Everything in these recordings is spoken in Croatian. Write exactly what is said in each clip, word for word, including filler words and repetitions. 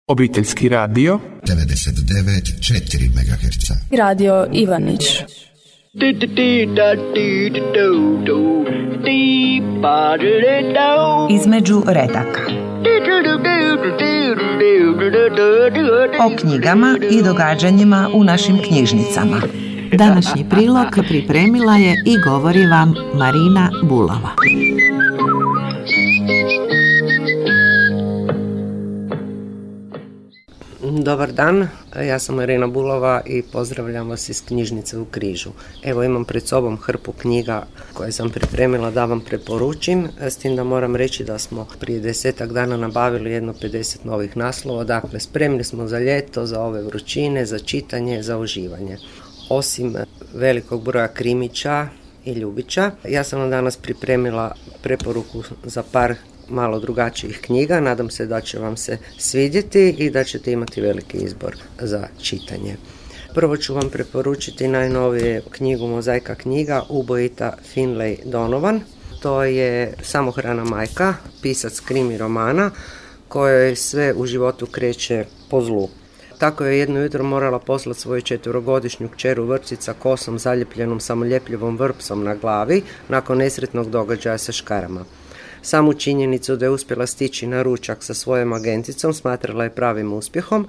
Obiteljski radio devedeset devet zarez četiri megaherca. Radio Ivanić. Između redaka. O knjigama i događanjima u našim knjižnicama. Današnji prilog pripremila je i govori vam Marina Bulava. Dobar dan, ja sam Marina Bulova i pozdravljam vas iz knjižnice u Križu. Evo imam pred sobom hrpu knjiga koje sam pripremila da vam preporučim, s tim da moram reći da smo prije desetak dana nabavili jedno pedeset novih naslova, dakle spremni smo za ljeto, za ove vrućine, za čitanje, za uživanje. Osim velikog broja krimića i ljubića, ja sam vam danas pripremila preporuku za par malo drugačijih knjiga. Nadam se da će vam se svidjeti i da ćete imati veliki izbor za čitanje. Prvo ću vam preporučiti najnovije knjigu Mozaika knjiga Ubojita Finlay Donovan. To je samohrana majka, pisac krimi romana kojoj sve u životu kreće po zlu. Tako je jedno jutro morala poslati svoju četverogodišnju kćeru vrpci sa kosom zaljepljenom samoljepljivom vrpsom na glavi nakon nesretnog događaja sa škarama. Samu činjenicu da je uspjela stići na ručak sa svojom agenticom smatrala je pravim uspjehom,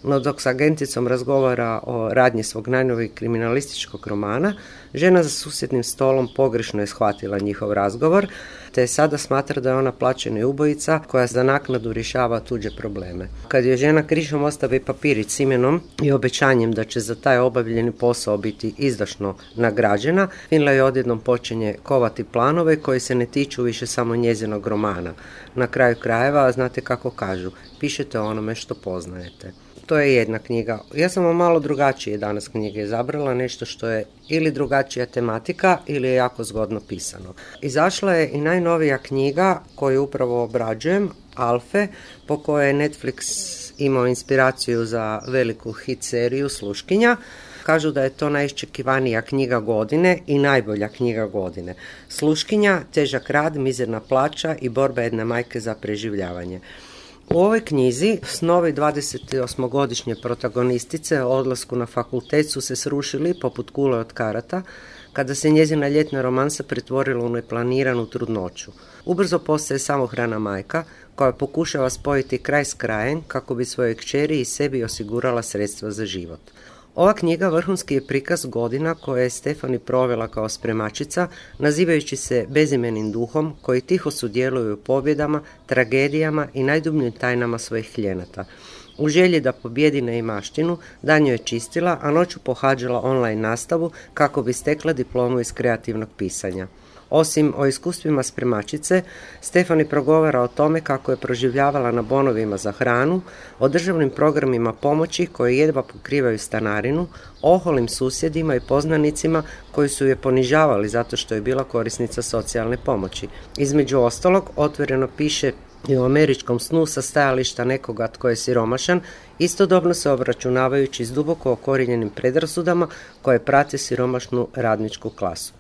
no dok s agenticom razgovara o radnji svog najnovijeg kriminalističkog romana, žena za susjednim stolom pogrešno je shvatila njihov razgovor, te sada smatra da je ona plaćena ubojica koja za naknadu rješava tuđe probleme. Kad je žena krišom ostavi papirić s imenom i obećanjem da će za taj obavljeni posao biti izdašno nagrađena, Finlay odjednom počinje kovati planove koji se ne tiču više samo njezinog romana. Na kraju krajeva, znate kako kažu, pišete o onome što poznajete. To je jedna knjiga. Ja sam vam malo drugačije danas knjige izabrala, nešto što je ili drugačija tematika ili je jako zgodno pisano. Izašla je i najnovija knjiga koju upravo obrađujem, Alfe, po kojoj je Netflix imao inspiraciju za veliku hit seriju Sluškinja. Kažu da je to najiščekivanija knjiga godine i najbolja knjiga godine. Sluškinja, težak rad, mizerna plaća i borba jedne majke za preživljavanje. U ovoj knjizi snovi dvadesetosmogodišnje protagonistice o odlasku na fakultet su se srušili poput kule od karata kada se njezina ljetna romansa pretvorila u neplaniranu trudnoću. Ubrzo postaje samohrana majka koja pokušava spojiti kraj s krajem kako bi svojoj kćeri i sebi osigurala sredstva za život. Ova knjiga vrhunski je prikaz godina koje je Stefani provela kao spremačica, nazivajući se bezimenim duhom koji tiho sudjeluju u pobjedama, tragedijama i najdubljim tajnama svojih klijenata. U želji da pobjedi neimaštinu, danju je čistila, a noću pohađala online nastavu kako bi stekla diplomu iz kreativnog pisanja. Osim o iskustvima spremačice, Stefani progovara o tome kako je proživljavala na bonovima za hranu, o državnim programima pomoći koji jedva pokrivaju stanarinu, oholim susjedima i poznanicima koji su je ponižavali zato što je bila korisnica socijalne pomoći. Između ostalog, otvoreno piše i o američkom snu sa stajališta nekoga tko je siromašan, istodobno se obračunavajući s duboko okorijenjenim predrasudama koje prate siromašnu radničku klasu.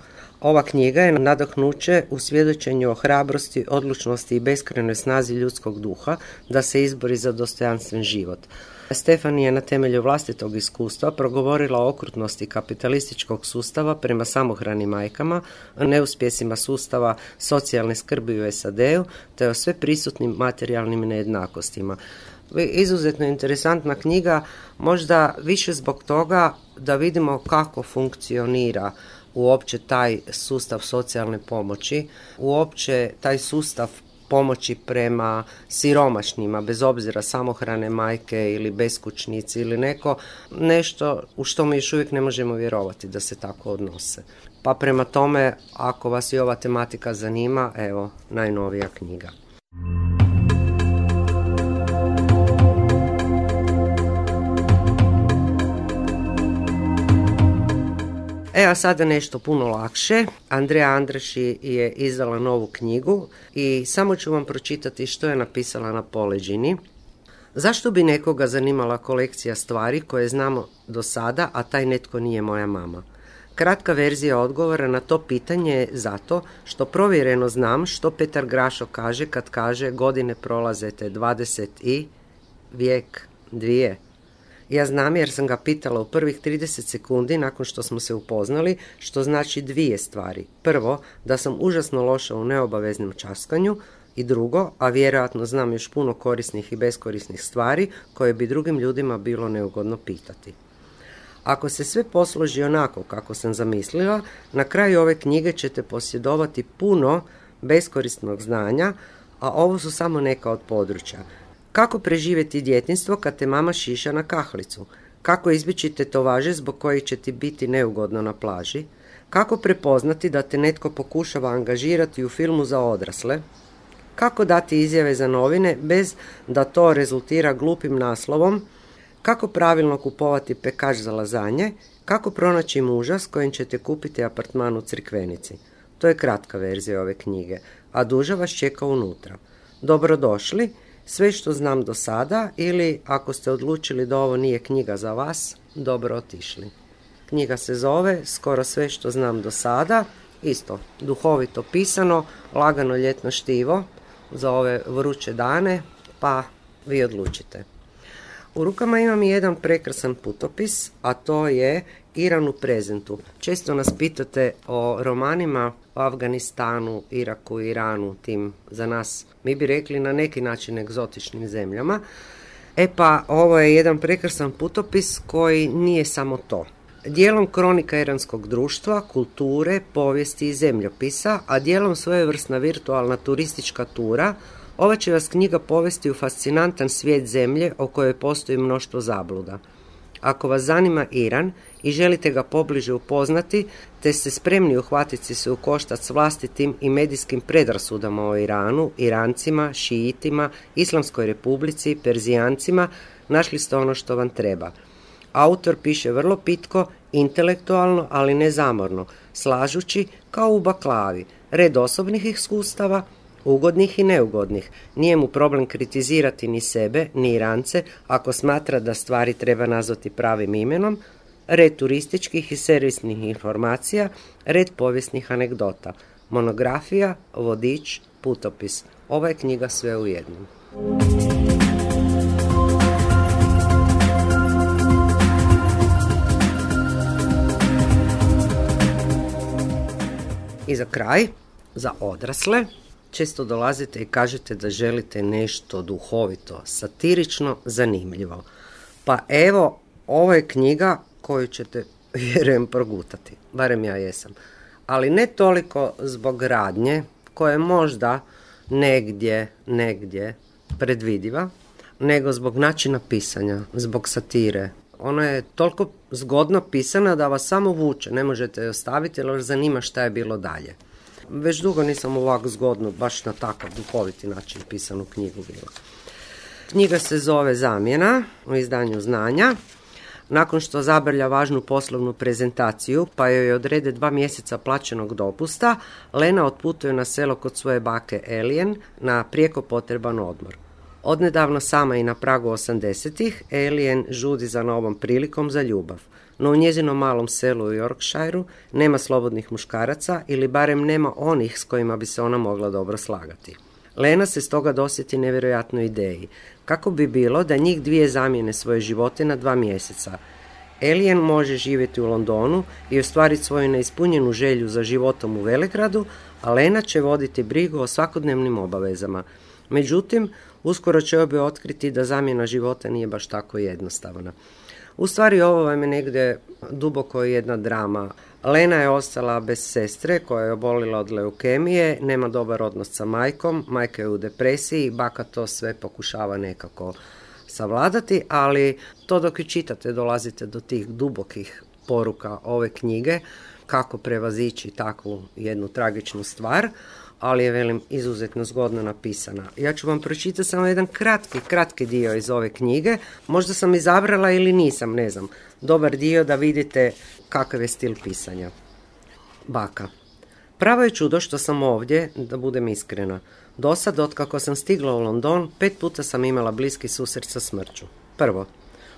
Ova knjiga je nadahnuće u svjedočenju o hrabrosti, odlučnosti i beskrajnoj snazi ljudskog duha da se izbori za dostojanstven život. Stefani je na temelju vlastitog iskustva progovorila o okrutnosti kapitalističkog sustava prema samohranim majkama, o neuspjesima sustava socijalne skrbi u S A D-u, te o sve prisutnim materijalnim nejednakostima. Izuzetno interesantna knjiga, možda više zbog toga da vidimo kako funkcionira uopće taj sustav socijalne pomoći, uopće taj sustav pomoći prema siromašnima, bez obzira samohrane majke ili beskućnici ili neko, nešto u što mi još uvijek ne možemo vjerovati da se tako odnose. Pa prema tome, ako vas i ova tematika zanima, evo, najnovija knjiga. E, a sada nešto puno lakše. Andreja Andraši je izdala novu knjigu i samo ću vam pročitati što je napisala na poleđini. Zašto bi nekoga zanimala kolekcija stvari koje znamo do sada, a taj netko nije moja mama? Kratka verzija odgovora na to pitanje je zato što provjereno znam što Petar Grašo kaže kad kaže godine prolaze te dvadeset i vijek, dvije. Ja znam jer sam ga pitala u prvih trideset sekundi nakon što smo se upoznali, što znači dvije stvari. Prvo, da sam užasno loša u neobaveznom časkanju i drugo, a vjerojatno znam još puno korisnih i beskorisnih stvari koje bi drugim ljudima bilo neugodno pitati. Ako se sve posloži onako kako sam zamislila, na kraju ove knjige ćete posjedovati puno beskorisnog znanja, a ovo su samo neka od područja. Kako preživjeti djetinjstvo kad te mama šiša na kahlicu? Kako izbjeći tetovaže zbog kojih će ti biti neugodno na plaži? Kako prepoznati da te netko pokušava angažirati u filmu za odrasle? Kako dati izjave za novine bez da to rezultira glupim naslovom? Kako pravilno kupovati pekač za lazanje? Kako pronaći muža s kojim ćete kupiti apartman u Crikvenici? To je kratka verzija ove knjige, a duža vas čeka unutra. Dobrodošli, sve što znam do sada ili ako ste odlučili da ovo nije knjiga za vas, dobro otišli. Knjiga se zove Skoro sve što znam do sada, isto duhovito pisano, lagano ljetno štivo za ove vruće dane, pa vi odlučite. U rukama imam i jedan prekrasan putopis, a to je Iran u prezentu. Često nas pitate o romanima o Afganistanu, Iraku, Iranu, tim za nas, mi bi rekli na neki način egzotičnim zemljama. E pa, ovo je jedan prekrasan putopis koji nije samo to. Dijelom kronika iranskog društva, kulture, povijesti i zemljopisa, a dijelom svojevrsna virtualna turistička tura, ova će vas knjiga povesti u fascinantan svijet zemlje o kojoj postoji mnoštvo zabluda. Ako vas zanima Iran i želite ga pobliže upoznati, te ste spremni uhvatiti se u koštac s vlastitim i medijskim predrasudama o Iranu, Irancima, Šiitima, Islamskoj republici, Perzijancima, našli ste ono što vam treba. Autor piše vrlo pitko, intelektualno, ali ne zamorno, slažući kao u baklavi, red osobnih iskustava, ugodnih i neugodnih. Nije mu problem kritizirati ni sebe, ni Irance, ako smatra da stvari treba nazvati pravim imenom, red turističkih i servisnih informacija, red povijesnih anegdota, monografija, vodič, putopis. Ova je knjiga sve u jednom. I za kraj, za odrasle, često dolazite i kažete da želite nešto duhovito, satirično, zanimljivo. Pa evo, ovo je knjiga koju ćete, vjerujem, progutati. Barem ja jesam. Ali ne toliko zbog radnje, koja je možda negdje, negdje predvidiva, nego zbog načina pisanja, zbog satire. Ona je toliko zgodno pisana da vas samo vuče, ne možete je ostaviti jer vas zanima šta je bilo dalje. Već dugo nisam ovako zgodno, baš na takav duhoviti način pisanu knjigu bila. Knjiga se zove Zamjena u izdanju Znanja. Nakon što zabrlja važnu poslovnu prezentaciju, pa joj odrede dva mjeseca plaćenog dopusta, Lena otputuje na selo kod svoje bake Elien na prijeko potreban odmor. Odnedavno sama i na pragu osamdesetih, Elien žudi za novom prilikom za ljubav. No u njezinom malom selu u Yorkshireu nema slobodnih muškaraca ili barem nema onih s kojima bi se ona mogla dobro slagati. Lena se stoga dosjeti nevjerojatnoj ideji. Kako bi bilo da njih dvije zamijene svoje živote na dva mjeseca? Elien može živjeti u Londonu i ostvariti svoju neispunjenu želju za životom u Velegradu, a Lena će voditi brigu o svakodnevnim obavezama. Međutim, uskoro će obje otkriti da zamjena života nije baš tako jednostavna. U stvari ovo vam je negdje duboko jedna drama. Lena je ostala bez sestre koja je obolila od leukemije, nema dobar odnos sa majkom, majka je u depresiji, baka to sve pokušava nekako savladati, ali to dok ju čitate dolazite do tih dubokih poruka ove knjige, kako prevazići takvu jednu tragičnu stvar, ali je, velim, izuzetno zgodno napisana. Ja ću vam pročitati samo jedan kratki, kratki dio iz ove knjige. Možda sam izabrala ili nisam, ne znam. Dobar dio da vidite kakav je stil pisanja. Baka. Pravo je čudo što sam ovdje, da budem iskrena. Dosad, otkako sam stigla u London, pet puta sam imala bliski susret sa smrću. Prvo,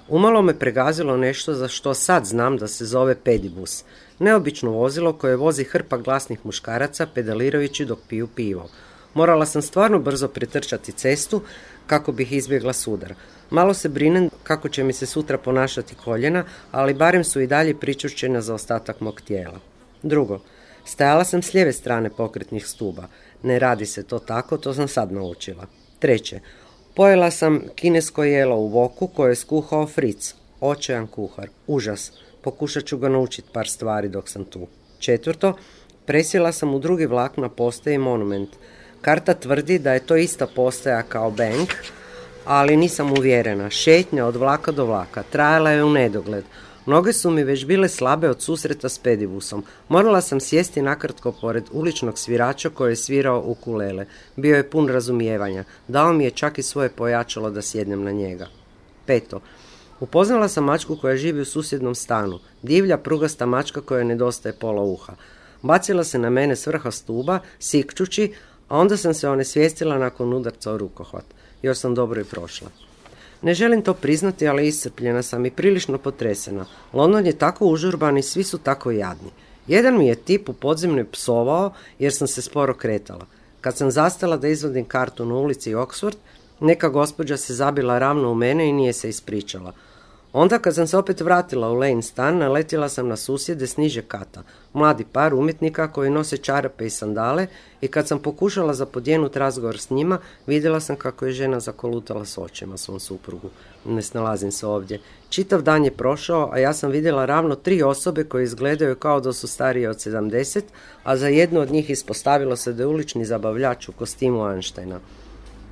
umalo me pregazilo nešto za što sad znam da se zove pedibus. Neobično vozilo koje vozi hrpa glasnih muškaraca pedalirajući dok piju pivo. Morala sam stvarno brzo pretrčati cestu kako bih izbjegla sudar. Malo se brinem kako će mi se sutra ponašati koljena, ali barem su i dalje pričušćena za ostatak mog tijela. Drugo, stajala sam s lijeve strane pokretnih stuba. Ne radi se to tako, to sam sad naučila. Treće, pojela sam kinesko jelo u voku koje je skuhao Fritz, očajan kuhar, užas. Pokušat ću ga naučiti par stvari dok sam tu. Četvrto, presjela sam u drugi vlak na postaji Monument. Karta tvrdi da je to ista postaja kao Bank, ali nisam uvjerena. Šetnja od vlaka do vlaka trajala je u nedogled. Noge su mi već bile slabe od susreta s pedibusom. Morala sam sjesti nakratko pored uličnog svirača koji je svirao ukulele. Bio je pun razumijevanja. Dao mi je čak i svoje pojačalo da sjednem na njega. Peto. Upoznala sam mačku koja živi u susjednom stanu. Divlja, prugasta mačka koja nedostaje pola uha. Bacila se na mene s vrha stuba, sikčući, a onda sam se onesvijestila nakon udarca o rukohvat. Još sam dobro i prošla. Ne želim to priznati, ali iscrpljena sam i prilično potresena. London je tako užurban i svi su tako jadni. Jedan mi je tip u podzemlju psovao jer sam se sporo kretala. Kad sam zastala da izvadim kartu na ulici Oxford, neka gospođa se zabila ravno u mene i nije se ispričala. Onda kad sam se opet vratila u Lane stan, naletila sam na susjede s niže kata, mladi par umjetnika koji nose čarape i sandale, i kad sam pokušala zapodjenut razgovor s njima, vidjela sam kako je žena zakolutala s očima svom suprugu. Ne snalazim se ovdje. Čitav dan je prošao, a ja sam vidjela ravno tri osobe koje izgledaju kao da su starije od sedamdeset, a za jednu od njih ispostavilo se da je ulični zabavljač u kostimu Einsteina.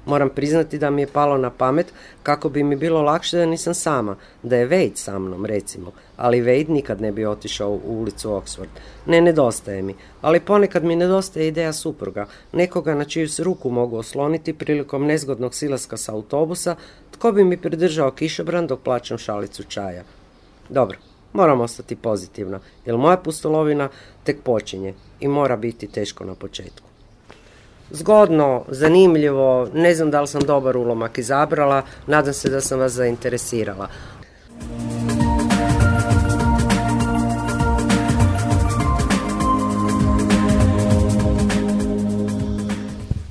Moram priznati da mi je palo na pamet kako bi mi bilo lakše da nisam sama, da je Wade sa mnom, recimo, ali Wade nikad ne bi otišao u ulicu Oxford. Ne nedostaje mi, ali ponekad mi nedostaje ideja supruga, nekoga na čiju se ruku mogu osloniti prilikom nezgodnog silaska sa autobusa, tko bi mi pridržao kišobran dok plaćam šalicu čaja. Dobro, moram ostati pozitivna, jer moja pustolovina tek počinje i mora biti teško na početku. Zgodno, zanimljivo, ne znam da li sam dobar ulomak izabrala, nadam se da sam vas zainteresirala.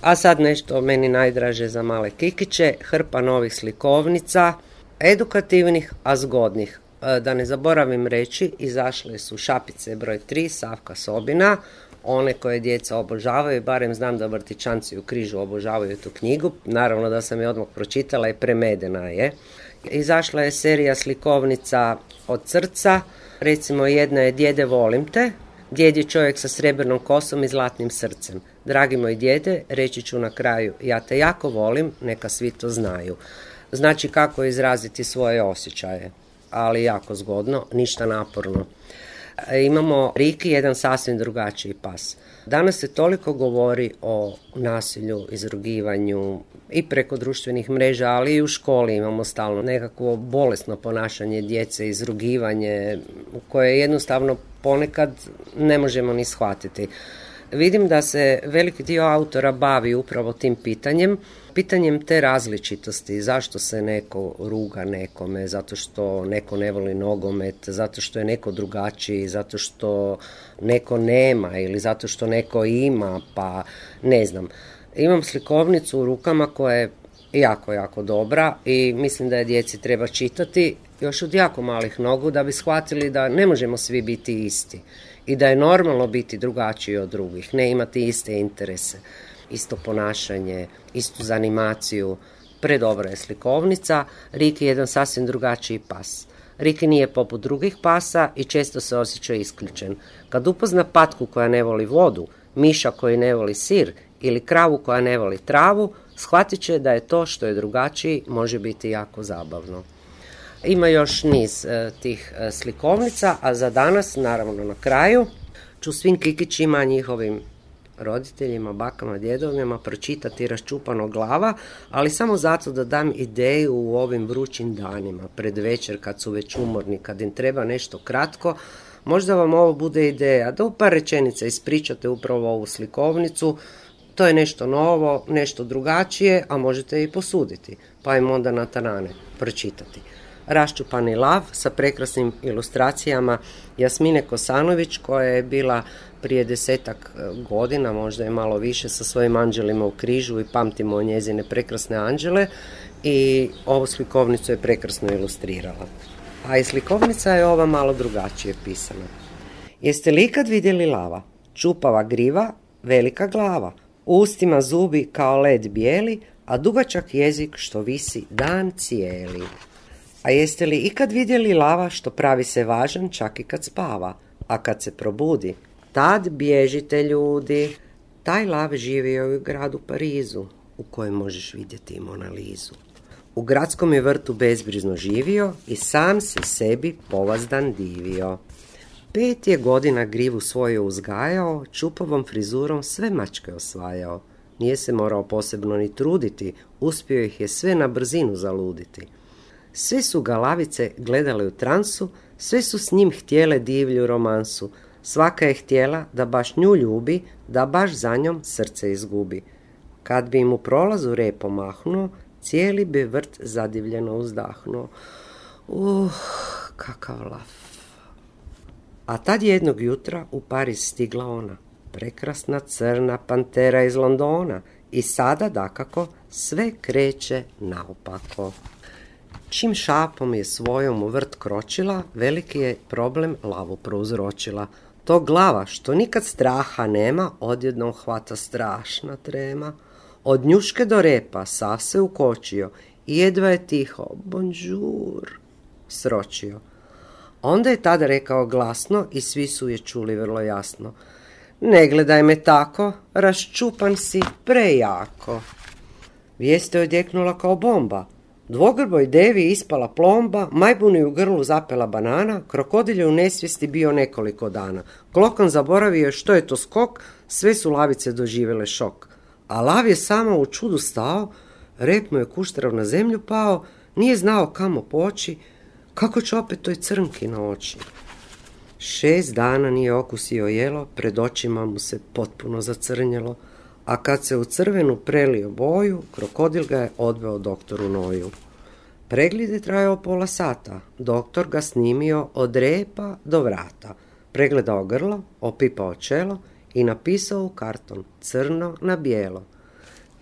A sad nešto meni najdraže za male kikiće, hrpa novih slikovnica, edukativnih, a zgodnih. Da ne zaboravim reći, izašle su Šapice broj tri, Savka Sobina, one koje djeca obožavaju, barem znam da vrtićanci u Križu obožavaju tu knjigu, naravno da sam je odmah pročitala i premedena je. Izašla je serija slikovnica od srca, recimo jedna je Djede volim te, djed je čovjek sa srebrnom kosom i zlatnim srcem. Dragi moj djede, reći ću na kraju, ja te jako volim, neka svi to znaju. Znači kako izraziti svoje osjećaje, ali jako zgodno, ništa naporno. Imamo Riki, jedan sasvim drugačiji pas. Danas se toliko govori o nasilju, izrugivanju i preko društvenih mreža, ali i u školi imamo stalno nekakvo bolesno ponašanje djece, izrugivanje koje jednostavno ponekad ne možemo ni shvatiti. Vidim da se veliki dio autora bavi upravo tim pitanjem, pitanjem te različitosti, zašto se neko ruga nekome, zato što neko ne voli nogomet, zato što je neko drugačiji, zato što neko nema ili zato što neko ima, pa ne znam. Imam slikovnicu u rukama koja je jako, jako dobra i mislim da je djeci treba čitati još od jako malih nogu da bi shvatili da ne možemo svi biti isti i da je normalno biti drugačiji od drugih, ne imati iste interese, isto ponašanje, istu zanimaciju. Predobra je slikovnica. Riki je jedan sasvim drugačiji pas. Riki nije poput drugih pasa i često se osjeća isključen. Kad upozna patku koja ne voli vodu, miša koji ne voli sir ili kravu koja ne voli travu, shvatit će da je to što je drugačiji može biti jako zabavno. Ima još niz e, tih e, slikovnica, a za danas, naravno na kraju, ću svim kikićima, njihovim roditeljima, bakama, djedovima pročitati Raščupano glava, ali samo zato da dam ideju u ovim vrućim danima, pred večer kad su već umorni, kad im treba nešto kratko. Možda vam ovo bude ideja da u par rečenica ispričate upravo ovu slikovnicu. To je nešto novo, nešto drugačije, a možete i posuditi, pa im onda na tanane pročitati. Raščupani lav sa prekrasnim ilustracijama Jasmine Kosanović, koja je bila prije desetak godina, možda je malo više, sa svojim anđelima u križu i pamtimo njezine prekrasne anđele, i ovu slikovnicu je prekrasno ilustrirala. A i slikovnica je ova malo drugačije pisana. Jeste li ikad vidjeli lava? Čupava griva, velika glava, u ustima zubi kao led bijeli, a dugačak jezik što visi dan cijeli. A jeste li ikad vidjeli lava što pravi se važan čak i kad spava, a kad se probudi, tad bježite ljudi. Taj lav živio je u gradu Parizu, u kojem možeš vidjeti i Mona Lizu. U gradskom je vrtu bezbrizno živio i sam se sebi povazdan divio. Pet je godina grivu svoju uzgajao, čupavom frizurom sve mačke osvajao. Nije se morao posebno ni truditi, uspio ih je sve na brzinu zaluditi. Sve su ga lavice gledale u transu, sve su s njim htjele divlju romansu. Svaka je htjela da baš nju ljubi, da baš za njom srce izgubi. Kad bi im u prolazu repo mahnuo, cijeli bi vrt zadivljeno uzdahnuo. Uh, kakav lav. A tad jednog jutra u Pariz stigla ona, prekrasna crna pantera iz Londona, i sada, dakako, sve kreće naopako. Čim šapom je svojom u vrt kročila, veliki je problem lavu prouzročila. To glava, što nikad straha nema, odjednom hvata strašna trema. Od njuške do repa sav se ukočio i jedva je tiho bonjour sročio. Onda je tada rekao glasno i svi su je čuli vrlo jasno: ne gledaj me tako, raščupan si prejako. Vijest je odjeknula kao bomba. Dvogrboj devi ispala plomba, majbuni u grlu zapela banana, krokodil je u nesvijesti bio nekoliko dana. Klokan zaboravio što je to skok, sve su lavice doživjele šok. A lav je samo u čudu stao, rep mu je kuštrav na zemlju pao, nije znao kamo poći, kako će opet toj crnki na oči. Šest dana nije okusio jelo, pred očima mu se potpuno zacrnjelo, a kad se u crvenu prelio boju, krokodil ga je odveo doktoru Noju. Pregled je trajao pola sata, doktor ga snimio od repa do vrata, pregledao grlo, opipao čelo i napisao u karton crno na bijelo: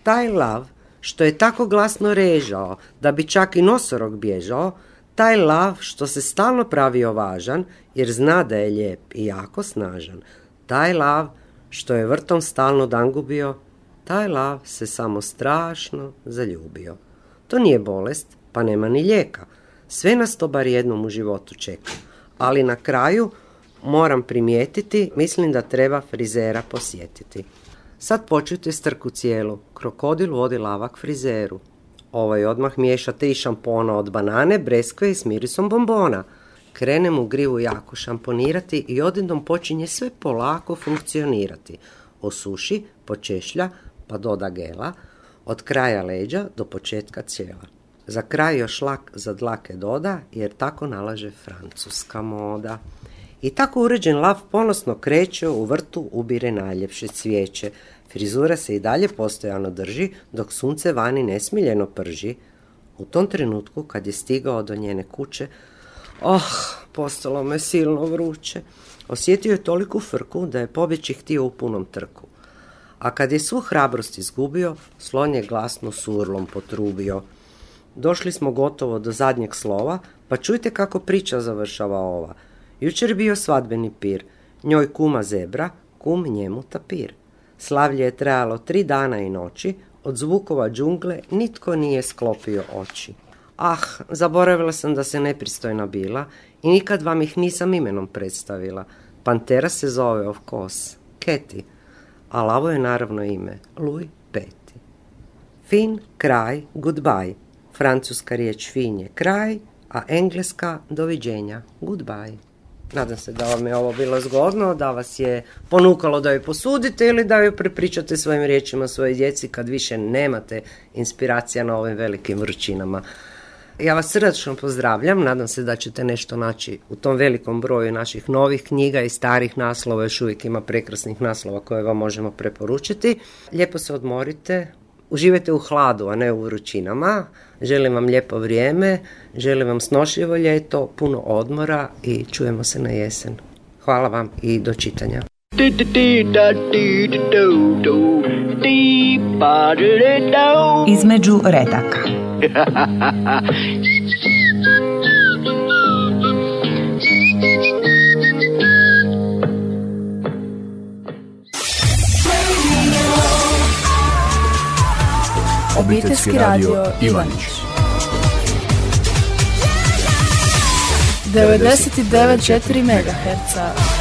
taj lav što je tako glasno režao da bi čak i nosorog bježao, taj lav što se stalno pravio važan jer zna da je lijep i jako snažan, taj lav što je vrtom stalno dan gubio, taj lav se samo strašno zaljubio. To nije bolest, pa nema ni lijeka. Sve nas to bar jednom u životu čeka. Ali na kraju moram primijetiti, mislim da treba frizera posjetiti. Sad počujte strku cijelu. Krokodil vodi lava k frizeru. Ovaj odmah miješa tri šampona od banane, breskve i s mirisom bombona. Krene mu grivu jako šamponirati i odjednom počinje sve polako funkcionirati. Osuši, počešlja, pa doda gela, od kraja leđa do početka cijela. Za kraj još lak za dlake doda, jer tako nalaže francuska moda. I tako uređen lav ponosno kreće, u vrtu ubire najljepše cvijeće. Frizura se i dalje postojano drži, dok sunce vani nesmiljeno prži. U tom trenutku, kad je stigao do njene kuće, oh, postalo me silno vruće. Osjetio je toliku frku da je pobjeći htio u punom trku. A kad je svu hrabrost izgubio, slon je glasno surlom potrubio. Došli smo gotovo do zadnjeg slova, pa čujte kako priča završava ova. Jučer bio svadbeni pir, njoj kuma zebra, kum njemu tapir. Slavlje je trajalo tri dana i noći, od zvukova džungle nitko nije sklopio oči. Ah, zaboravila sam da se nepristojna bila i nikad vam ih nisam imenom predstavila. Pantera se zove of course, Keti, a lavo je naravno ime Louis Peti. Fin, kraj, goodbye. Francuska riječ fin je kraj, a engleska doviđenja, goodbye. Nadam se da vam je ovo bilo zgodno, da vas je ponukalo da ju posudite ili da ju prepričate svojim riječima svojoj djeci kad više nemate inspiracija na ovim velikim vrućinama. Ja vas srdačno pozdravljam, nadam se da ćete nešto naći u tom velikom broju naših novih knjiga i starih naslova, još uvijek ima prekrasnih naslova koje vam možemo preporučiti. Lijepo se odmorite, uživajte u hladu, a ne u vrućinama. Želim vam lijepo vrijeme, želim vam snošljivo ljeto, puno odmora i čujemo se na jesen. Hvala vam i do čitanja. Između redaka. Obiteljski radio Ivanić devedeset devet zarez četiri megaherca.